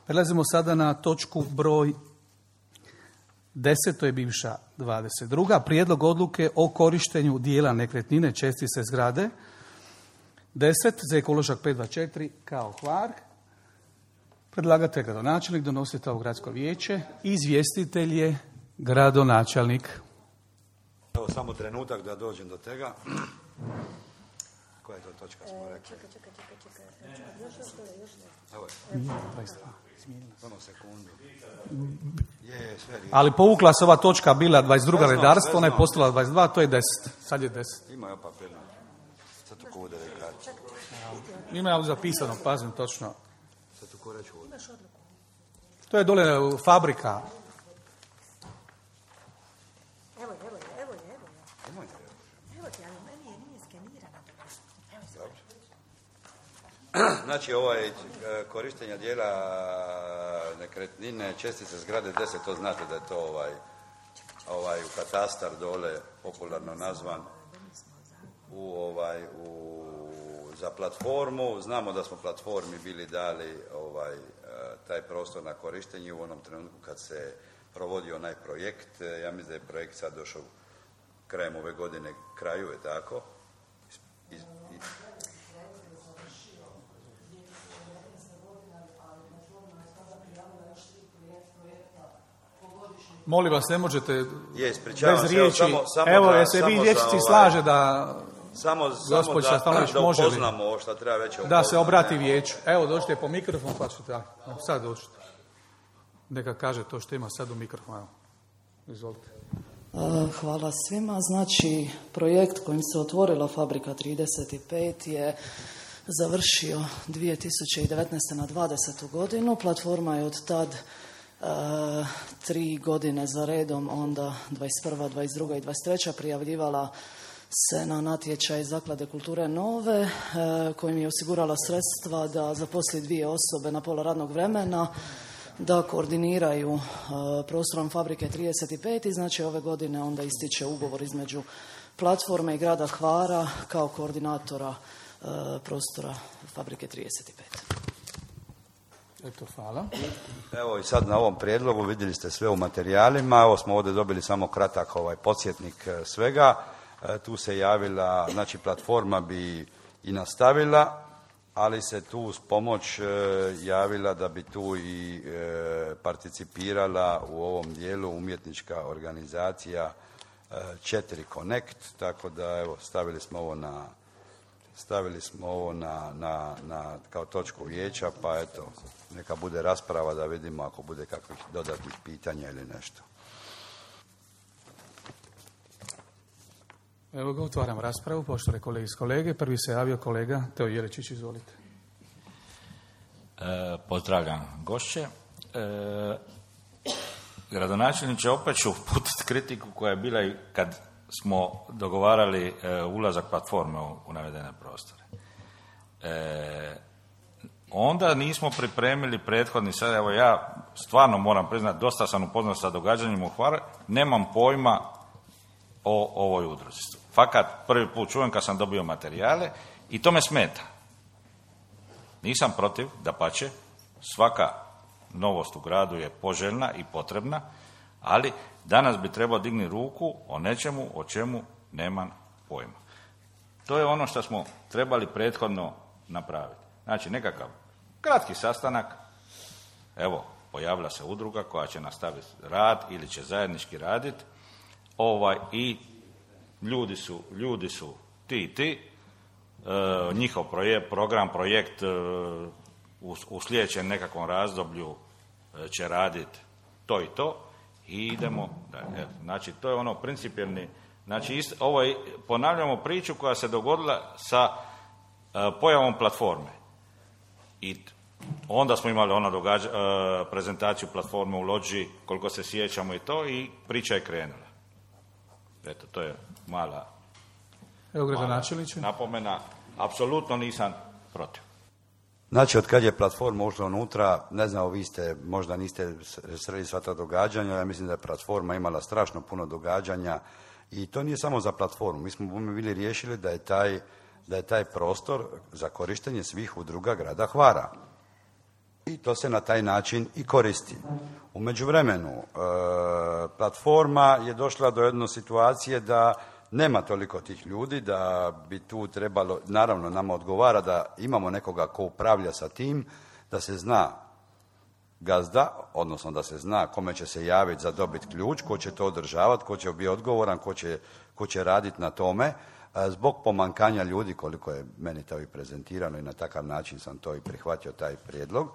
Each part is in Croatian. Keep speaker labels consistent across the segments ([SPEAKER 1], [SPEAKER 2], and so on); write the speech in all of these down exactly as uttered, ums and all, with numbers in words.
[SPEAKER 1] Prelazimo sada na točku broj deset, to je bivša dvadeset druga. Prijedlog odluke o korištenju dijela nekretnine čestice zgrade. deset za ekološak pet dva četiri kao Hvar. Predlagatelj je gradonačelnik, donosite ovo gradsko vijeće. Izvjestitelj je gradonačelnik.
[SPEAKER 2] Evo samo trenutak da dođem do tega. Koja je to točka smo rekli?
[SPEAKER 3] Čekaj, čekaj, čekaj, čekaj. Još, još, još.
[SPEAKER 2] Evo je.
[SPEAKER 1] dvadeset dva.
[SPEAKER 2] Samo sekundu. Je, je, sve je.
[SPEAKER 1] Ali povukla se ova točka, bila dvadeset druga redarstvo, ona je postala dvadeset dva, to je deset. Sad je deset.
[SPEAKER 2] Ima je papir. Sad tu ko udari kartu.
[SPEAKER 1] Ima je ali zapisano, pazim točno.
[SPEAKER 2] Sad tu ko reći ovdje.
[SPEAKER 1] To je dole fabrika.
[SPEAKER 3] Evo je, evo je, evo je, evo je.
[SPEAKER 2] Ima je.
[SPEAKER 3] Evo ti, ali meni je nije skenirano. Evo se.
[SPEAKER 2] Znači, ovo je korištenje dijela nekretnine, čestice zgrade deset, to znate da je to ovaj, ovaj u katastar dole, popularno nazvan, u ovaj, u, za platformu. Znamo da smo platformi bili dali ovaj, taj prostor na korištenje u onom trenutku kad se provodio onaj projekt. Ja mislim da je projekt sad došao krajem ove godine, kraju je tako. I, i,
[SPEAKER 1] Molim vas, ne možete
[SPEAKER 2] je, ispričavam
[SPEAKER 1] bez
[SPEAKER 2] se,
[SPEAKER 1] riječi.
[SPEAKER 2] Samo, samo
[SPEAKER 1] Evo,
[SPEAKER 2] da,
[SPEAKER 1] je se vi vječici
[SPEAKER 2] ovaj,
[SPEAKER 1] slaže da
[SPEAKER 2] samo,
[SPEAKER 1] gospođa
[SPEAKER 2] samo
[SPEAKER 1] Stanović
[SPEAKER 2] da, da
[SPEAKER 1] može li
[SPEAKER 2] upoznamo ovo što treba već
[SPEAKER 1] da se obrati vijeću. Evo, dođite po mikrofon, pa ćete, sad dođite. Neka kaže to što ima sad u mikrofonu. Izvolite.
[SPEAKER 4] Hvala svima. Znači, projekt kojim se otvorila Fabrika trideset pet je završio dvije tisuće devetnaeste. na dvadesetu godinu. Platforma je od tad uh, tri godine za redom, onda dvadeset prva, dvadeset druga i dvadeset treća prijavljivala se na natječaj Zaklade kulture Nove, uh, kojim je osigurala sredstva da zaposli dvije osobe na pola radnog vremena, da koordiniraju uh, prostorom Fabrike trideset pet i znači ove godine onda ističe ugovor između platforme i grada Hvara kao koordinatora uh, prostora Fabrike trideset pet.
[SPEAKER 1] Eto, hvala.
[SPEAKER 2] Evo i sad na ovom prijedlogu vidjeli ste sve u materijalima. Evo smo ovdje dobili samo kratak ovaj podsjetnik svega. E, tu se javila, znači platforma bi i nastavila, ali se tu uz pomoć e, javila da bi tu i e, participirala u ovom dijelu umjetnička organizacija e, četiri Connect, tako da evo stavili smo ovo na stavili smo ovo na, na, na kao točku vijeća, pa eto neka bude rasprava da vidimo ako bude kakvih dodatnih pitanja ili nešto.
[SPEAKER 1] Evo ga, otvaram raspravu, poštovane kolege iz kolege. Prvi se javio kolega Teo Jelečić, izvolite.
[SPEAKER 5] E, pozdravljam gošće. E, gradonačelniče, opet ću uputiti kritiku koja je bila i kad smo dogovarali e, ulazak platforme u, u navedene prostore. E, onda nismo pripremili prethodni, sad evo ja stvarno moram priznati, dosta sam upoznat sa događanjima u Hvaru, nemam pojma o ovoj udruzi. Fakat prvi put čujem kad sam dobio materijale i to me smeta. Nisam protiv, dapače, svaka novost u gradu je poželjna i potrebna, ali danas bi trebao digni ruku o nečemu o čemu nemam pojma. To je ono što smo trebali prethodno napraviti. Znači nekakav kratki sastanak, evo, pojavila se udruga koja će nastaviti rad ili će zajednički raditi, ovaj, i ljudi su, ljudi su ti i ti, e, njihov projekt, program, projekt e, u, u sljedećem nekakvom razdoblju e, će raditi to i to i idemo dalje. Znači, to je ono principijelni, znači ist, ovo je, ponavljamo priču koja se dogodila sa e, pojavom platforme. I onda smo imali ono događa, e, prezentaciju platforme u Lođi, koliko se sjećamo i to, i priča je krenula. Eto, to je mala,
[SPEAKER 1] Evo gradonačelniče.
[SPEAKER 5] napomena. Apsolutno nisam protiv.
[SPEAKER 2] Znači, od kad je platforma ušla unutra, ne znam, vi ste, možda niste sreli sva ta događanja, ja mislim da je platforma imala strašno puno događanja i to nije samo za platformu. Mi smo bili riješili da je taj, da je taj prostor za korištenje svih udruga grada Hvara. i to se na taj način i koristi. U međuvremenu, e, platforma je došla do jedne situacije da nema toliko tih ljudi, da bi tu trebalo, naravno nama odgovara da imamo nekoga ko upravlja sa tim, da se zna gazda, odnosno da se zna kome će se javiti za dobiti ključ, ko će to održavati, ko će biti odgovoran, ko će, ko će raditi na tome. Zbog pomankanja ljudi, koliko je meni to i prezentirano i na takav način sam to i prihvatio, taj prijedlog,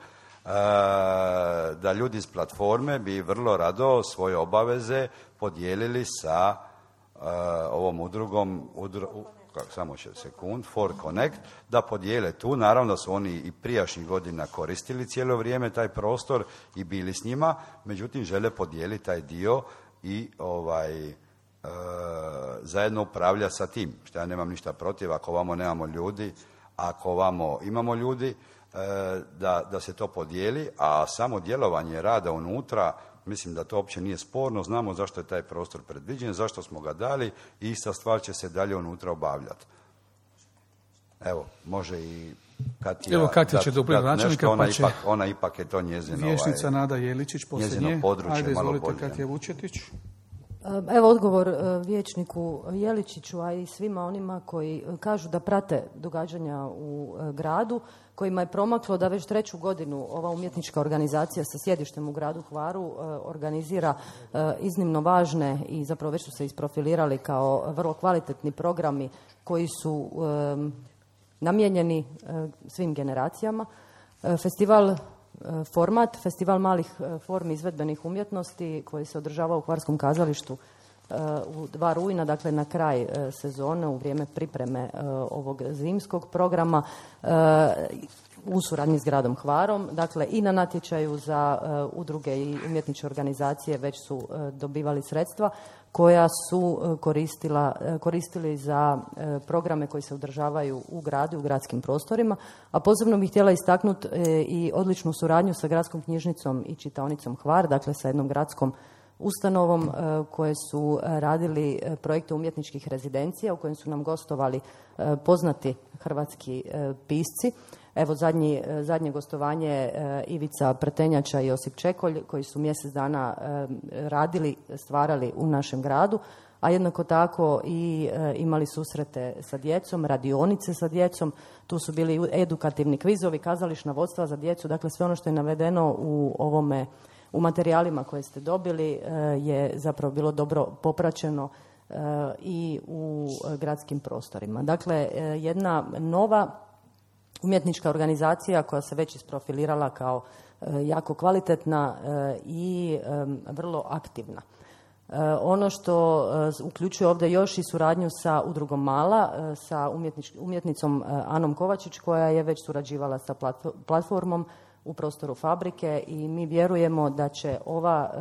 [SPEAKER 2] da ljudi iz platforme bi vrlo rado svoje obaveze podijelili sa ovom udrugom, udru, samo će sekund, For Connect, da podijele tu. Naravno da su oni i prijašnjih godina koristili cijelo vrijeme taj prostor i bili s njima, međutim žele podijeliti taj dio i ovaj, e, zajedno upravlja sa tim. Što ja nemam ništa protiv, ako ovamo nemamo ljudi, ako ovamo imamo ljudi, e, da, da se to podijeli, a samo djelovanje rada unutra, mislim da to uopće nije sporno, znamo zašto je taj prostor predviđen, zašto smo ga dali i ista stvar će se dalje unutra obavljati. Evo, može i Katja...
[SPEAKER 1] Evo Katja će dopuniti načelnika,
[SPEAKER 2] ona
[SPEAKER 1] pa će...
[SPEAKER 2] Ipak, ona ipak je to njezino...
[SPEAKER 1] Vješnica
[SPEAKER 2] ovaj,
[SPEAKER 1] Nada Jeličić, poslije nje.
[SPEAKER 2] područje.
[SPEAKER 1] Ajde,
[SPEAKER 2] malo
[SPEAKER 1] izvolite,
[SPEAKER 2] bolje.
[SPEAKER 1] Katja Vučetić.
[SPEAKER 6] Evo odgovor vijećniku Jeličiću, a i svima onima koji kažu da prate događanja u gradu, kojima je promaklo da već treću godinu ova umjetnička organizacija sa sjedištem u gradu Hvaru organizira iznimno važne i zapravo već su se isprofilirali kao vrlo kvalitetni programi koji su namijenjeni svim generacijama. Festival Format, festival malih formi izvedbenih umjetnosti koji se održava u Hvarskom kazalištu u dva rujna, dakle na kraj sezone, u vrijeme pripreme ovog zimskog programa u suradnji s gradom Hvarom. Dakle, i na natječaju za udruge i umjetničke organizacije već su dobivali sredstva koja su koristila, koristili za programe koji se održavaju u gradu i u gradskim prostorima. A posebno bih htjela istaknuti i odličnu suradnju sa gradskom knjižnicom i čitaonicom Hvar, dakle sa jednom gradskom ustanovom koje su radili projekte umjetničkih rezidencija u kojem su nam gostovali poznati hrvatski pisci. Evo zadnji, zadnje gostovanje Ivica Prtenjača i Josip Čekolj koji su mjesec dana radili, stvarali u našem gradu, a jednako tako i imali susrete sa djecom, radionice sa djecom, tu su bili edukativni kvizovi, kazališna vodstva za djecu, dakle sve ono što je navedeno u ovome, u materijalima koje ste dobili je zapravo bilo dobro popraćeno i u gradskim prostorima. Dakle, jedna nova umjetnička organizacija koja se već isprofilirala kao jako kvalitetna i vrlo aktivna. Ono što uključuje ovdje još i suradnju sa udrugom Mala, sa umjetnicom Anom Kovačić koja je već surađivala sa platformom u prostoru fabrike i mi vjerujemo da će ova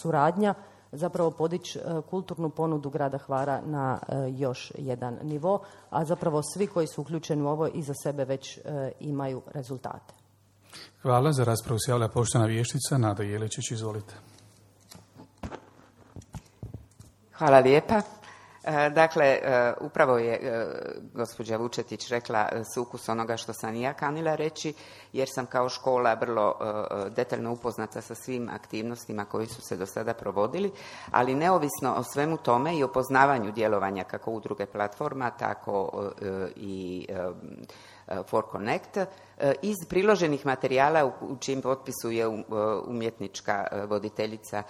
[SPEAKER 6] suradnja zapravo podići kulturnu ponudu grada Hvara na još jedan nivo, a zapravo svi koji su uključeni u ovo iza sebe već imaju rezultate.
[SPEAKER 1] Hvala. Za raspravu se javlja poštovana vijećnica Nada Jeličić, izvolite.
[SPEAKER 7] Hvala lijepa. Dakle, upravo je gospođa Vučetić rekla sukus onoga što sam i ja kanila reći, jer sam kao škola vrlo detaljno upoznata sa svim aktivnostima koji su se do sada provodili, ali neovisno o svemu tome i o poznavanju djelovanja kako udruge platforma, tako i For Connect, iz priloženih materijala u čijem potpisu je umjetnička voditeljica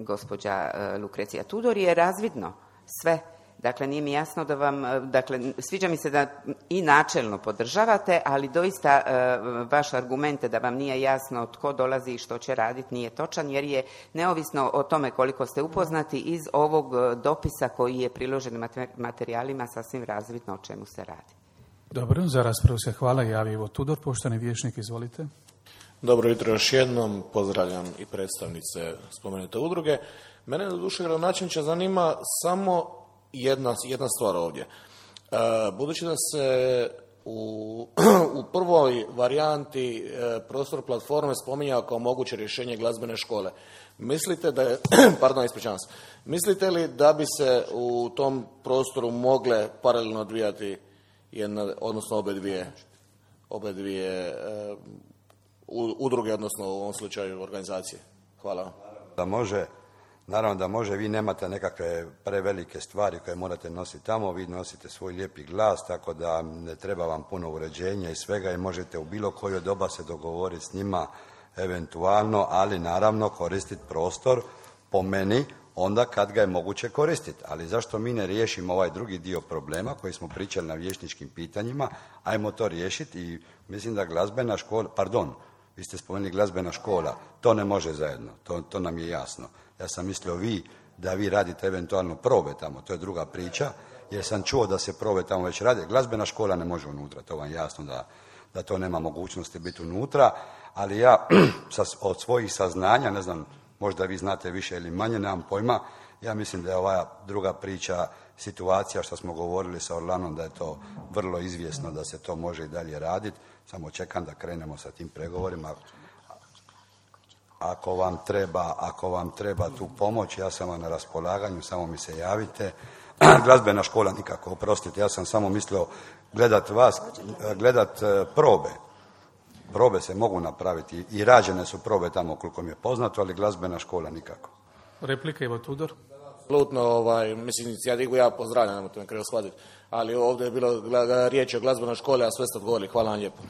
[SPEAKER 7] gospođa Lukrecija Tudor je razvidno sve. Dakle, nije mi jasno da vam, dakle, sviđa mi se da i načelno podržavate, ali doista vaš argument da vam nije jasno tko dolazi i što će raditi nije točan, jer je neovisno o tome koliko ste upoznati iz ovog dopisa koji je priložen materijalima sasvim razvidno o čemu se radi.
[SPEAKER 1] Dobro, za raspravu se hvala. Javi Ivo Tudor, poštovani vijećnik, izvolite.
[SPEAKER 8] Dobro jutro još jednom, pozdravljam i predstavnice spomenute udruge. Mene do duše gradonačelniče zanima samo jedna, jedna stvar ovdje. E, budući da se u, u prvoj varijanti e, prostor platforme spominjao kao moguće rješenje glazbene škole, mislite da je, pardon, ispričavam se, mislite li da bi se u tom prostoru mogle paralelno odvijati jedna, odnosno obe dvije, obe dvije e, udruge, odnosno u ovom slučaju organizacije. Hvala.
[SPEAKER 2] Da može, naravno da može, vi nemate nekakve prevelike stvari koje morate nositi tamo, vi nosite svoj lijepi glas, tako da ne treba vam puno uređenja i svega i možete u bilo koje doba se dogovoriti s njima eventualno, ali naravno koristiti prostor po meni onda kad ga je moguće koristiti. Ali zašto mi ne riješimo ovaj drugi dio problema koji smo pričali na vijećničkim pitanjima, ajmo to riješiti i mislim da glazbena škola, pardon, vi ste spomenuli glazbena škola, to ne može zajedno, to, to nam je jasno. Ja sam mislio vi, da vi radite eventualno probe tamo, to je druga priča, jer sam čuo da se probe tamo već rade. Glazbena škola ne može unutra, to vam je jasno da, da to nema mogućnosti biti unutra, ali ja od svojih saznanja, ne znam, možda vi znate više ili manje, nemam pojma, ja mislim da je ova druga priča, situacija što smo govorili sa Orlanom, da je to vrlo izvjesno da se to može i dalje raditi, samo čekam da krenemo sa tim pregovorima. Ako vam treba, ako vam treba tu pomoć, ja sam vam na raspolaganju, samo mi se javite. Glazbena škola nikako, oprostite, ja sam samo mislio gledat vas, gledat probe. Probe se mogu napraviti i rađene su probe tamo koliko mi je poznato, ali glazbena škola nikako.
[SPEAKER 1] Replika Ivo Tudor.
[SPEAKER 8] Apsolutno, ovaj, mislim, inicijativu ja pozdravljam, nemojte me krivo shvatiti, ali ovdje je bilo riječ o glazbenoj školi, a sve ste odgovorili. Hvala vam lijepo.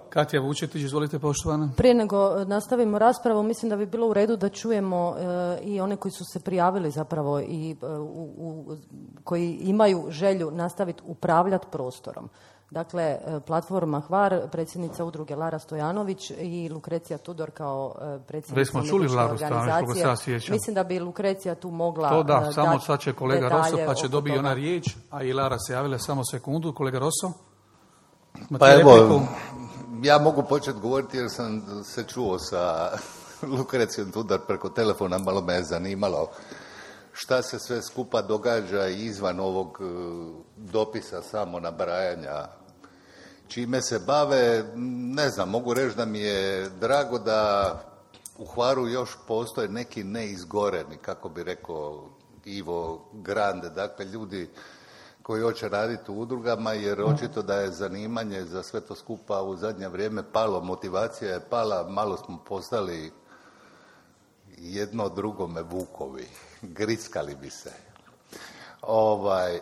[SPEAKER 1] Katja Vučetić, izvolite poštovana.
[SPEAKER 6] Prije nego nastavimo raspravu, mislim da bi bilo u redu da čujemo e, i one koji su se prijavili zapravo i e, u, u, koji imaju želju nastaviti upravljati prostorom. Dakle, platforma Hvar, predsjednica udruge Lara Stojanović i Lukrecija Tudor kao predsjednica umjetničke organizacije. Mislim da bi Lukrecija tu mogla
[SPEAKER 1] to da,
[SPEAKER 6] dati
[SPEAKER 1] samo sad će kolega Rosso pa će dobiti ona riječ, a i Lara se javila samo sekundu. Kolega Rosso?
[SPEAKER 9] Pa evo, ja mogu početi govoriti jer sam se čuo sa Lukrecijom Tudor preko telefona, malo me je zanimalo šta se sve skupa događa izvan ovog dopisa samo nabrajanja, čime se bave. Ne znam, mogu reći da mi je drago da u Hvaru još postoje neki neizgoreni, kako bi rekao Ivo Grande, dakle ljudi koji hoće raditi u udrugama, jer očito da je zanimanje za sve to skupa u zadnje vrijeme palo, motivacija je pala, malo smo postali jedno drugome vukovi, grickali bi se. Ovaj,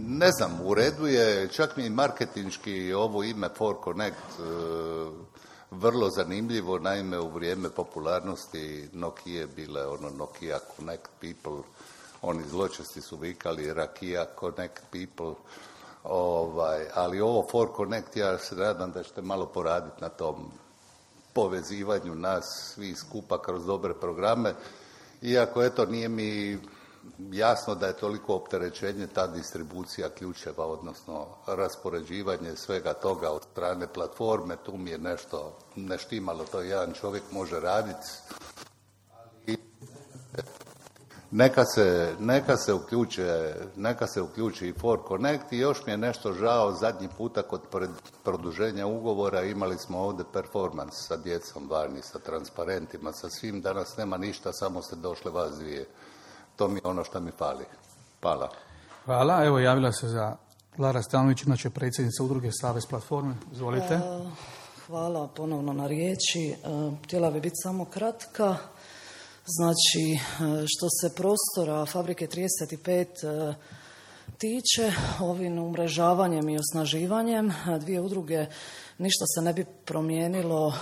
[SPEAKER 9] ne znam, u redu je, čak mi i marketinški ovo ime For Connect vrlo zanimljivo, naime u vrijeme popularnosti Nokia bile ono Nokia Connect People, oni zločesti su vikali Rakija Connect People, ovaj, ali ovo For Connect, ja se nadam da ćete malo poraditi na tom povezivanju nas svi skupa kroz dobre programe, iako eto nije mi jasno da je toliko opterećenje ta distribucija ključeva, odnosno raspoređivanje svega toga od strane platforme, tu mi je nešto neštimalo, to jedan čovjek može raditi, ali neka se, neka se uključe, neka se uključi i For Connect i još mi je nešto žao, zadnji puta kod produženja ugovora imali smo ovdje performans sa djecom vani, sa transparentima, sa svim, danas nema ništa, samo ste došle vas dvije. To mi je ono što mi fali. Hvala.
[SPEAKER 1] Hvala. Evo javila se za Lara Stanović, inače predsjednica udruge Savez platforme. Izvolite.
[SPEAKER 4] Hvala ponovno na riječi. Htjela bi biti samo kratka. Znači, što se prostora Fabrike trideset pet tiče, ovim umrežavanjem i osnaživanjem dvije udruge ništa se ne bi promijenilo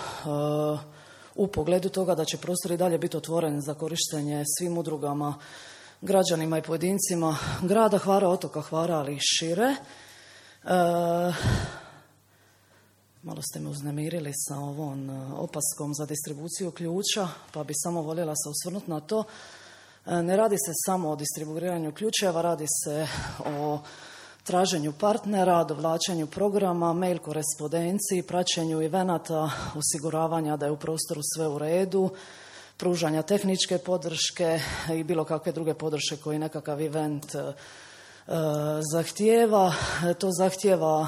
[SPEAKER 4] u pogledu toga da će prostor i dalje biti otvoren za korištenje svim udrugama, građanima i pojedincima grada Hvara, otoka Hvara, ali i šire. E, malo ste me uznemirili sa ovom opaskom za distribuciju ključa, pa bi samo voljela se osvrnuti na to. E, ne radi se samo o distribuiranju ključeva, radi se o traženju partnera, dovlačenju programa, mail korespondenciji, praćenju evenata, osiguravanja da je u prostoru sve u redu, pružanja tehničke podrške i bilo kakve druge podrške koji nekakav event e, zahtijeva. To zahtijeva e,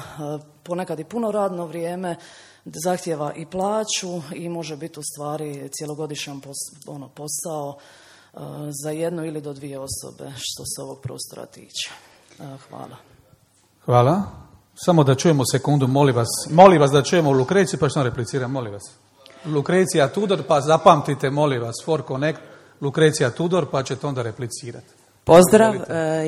[SPEAKER 4] ponekad i puno radno vrijeme, zahtijeva i plaću i može biti u stvari cjelogodišnjan pos, ono, posao e, za jednu ili do dvije osobe što se ovog prostora tiče. E, hvala.
[SPEAKER 1] Hvala. Samo da čujemo sekundu, molim vas. Molim vas da čujemo Lukreciju, pa što repliciram, molim vas. Lukrecija Tudor, pa zapamtite, molim vas, For Connect, Lukrecija Tudor, pa ćete onda replicirati.
[SPEAKER 10] Pozdrav,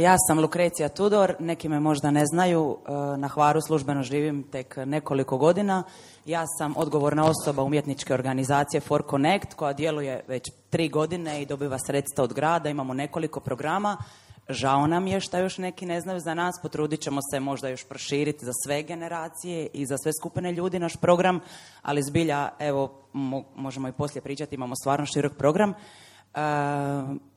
[SPEAKER 10] ja sam Lukrecija Tudor, neki me možda ne znaju, na Hvaru službeno živim tek nekoliko godina. Ja sam odgovorna osoba umjetničke organizacije For Connect koja djeluje već tri godine i dobiva sredstva od grada, imamo nekoliko programa. Žao nam je što još neki ne znaju za nas, potrudit ćemo se možda još proširiti za sve generacije i za sve skupine ljudi naš program, ali zbilja, evo, mo- možemo i poslije pričati, imamo stvarno širok program. Uh,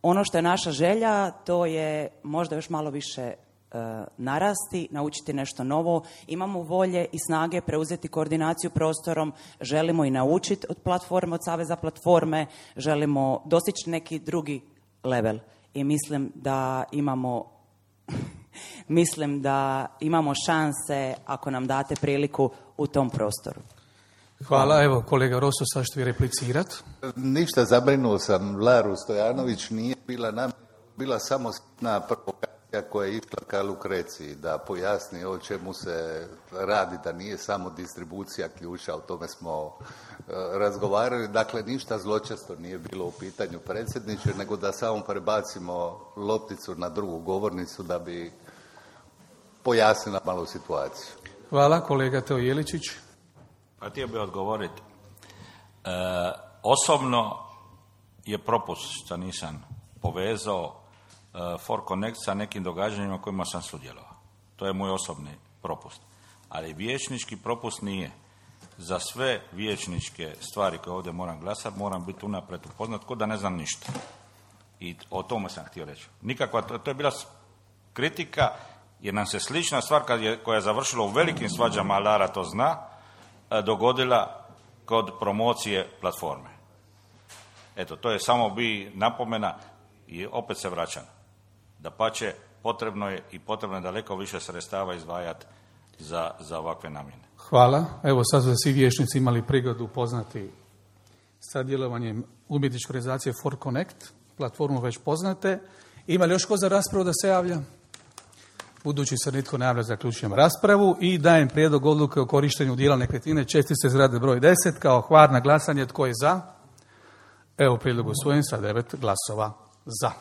[SPEAKER 10] ono što je naša želja, to je možda još malo više uh, narasti, naučiti nešto novo. Imamo volje i snage preuzeti koordinaciju prostorom, želimo i naučiti od platforme, od Saveza platforme, želimo dostići neki drugi level. I mislim da imamo mislim da imamo šanse ako nam date priliku u tom prostoru.
[SPEAKER 1] Hvala, evo kolega Rosso, sad ćete vi replicirati.
[SPEAKER 9] Ništa, zabrinuo sam, Laru Stojanović nije bila nam, bila samo na provokacija koja je išla ka Lukreciji, da pojasni o čemu se radi, da nije samo distribucija ključa, o tome smo uh, razgovarali. Dakle, ništa zločesto nije bilo u pitanju, predsjedniče, nego da samo prebacimo lopticu na drugu govornicu da bi pojasnila malo situaciju.
[SPEAKER 1] Hvala, kolega Teo Jeličić.
[SPEAKER 5] Pa htio bih odgovoriti. E, osobno je propust što nisam povezao e, For Connect sa nekim događanjima kojima sam sudjelovao. To je moj osobni propust. Ali vijećnički propust nije. Za sve vijećničke stvari koje ovdje moram glasati, moram biti unaprijed upoznat ko da ne znam ništa. I o tome sam htio reći. Nikakva, to, to je bila kritika, jer nam se slična stvar kad je, koja je završila u velikim svađama, Lara to zna, dogodila kod promocije platforme. Eto, to je samo bi napomena i opet se vraćam. Dapače, potrebno je i potrebno je daleko više sredstava izdvajati za, za ovakve namjene.
[SPEAKER 1] Hvala. Evo sad su svi vijećnici imali prigodu upoznati sa djelovanjem umjetničke organizacije For Connect. Platformu već poznate. Ima li još ko za raspravu da se javlja? Budući se nitko ne javlja, zaključujem raspravu i dajem prijedlog odluke o korištenju dijela nekretnine čestice zgrade broj deset kao Hvar na glasanje. Tko je za? Evo prijedlog usvojen sa devet glasova za.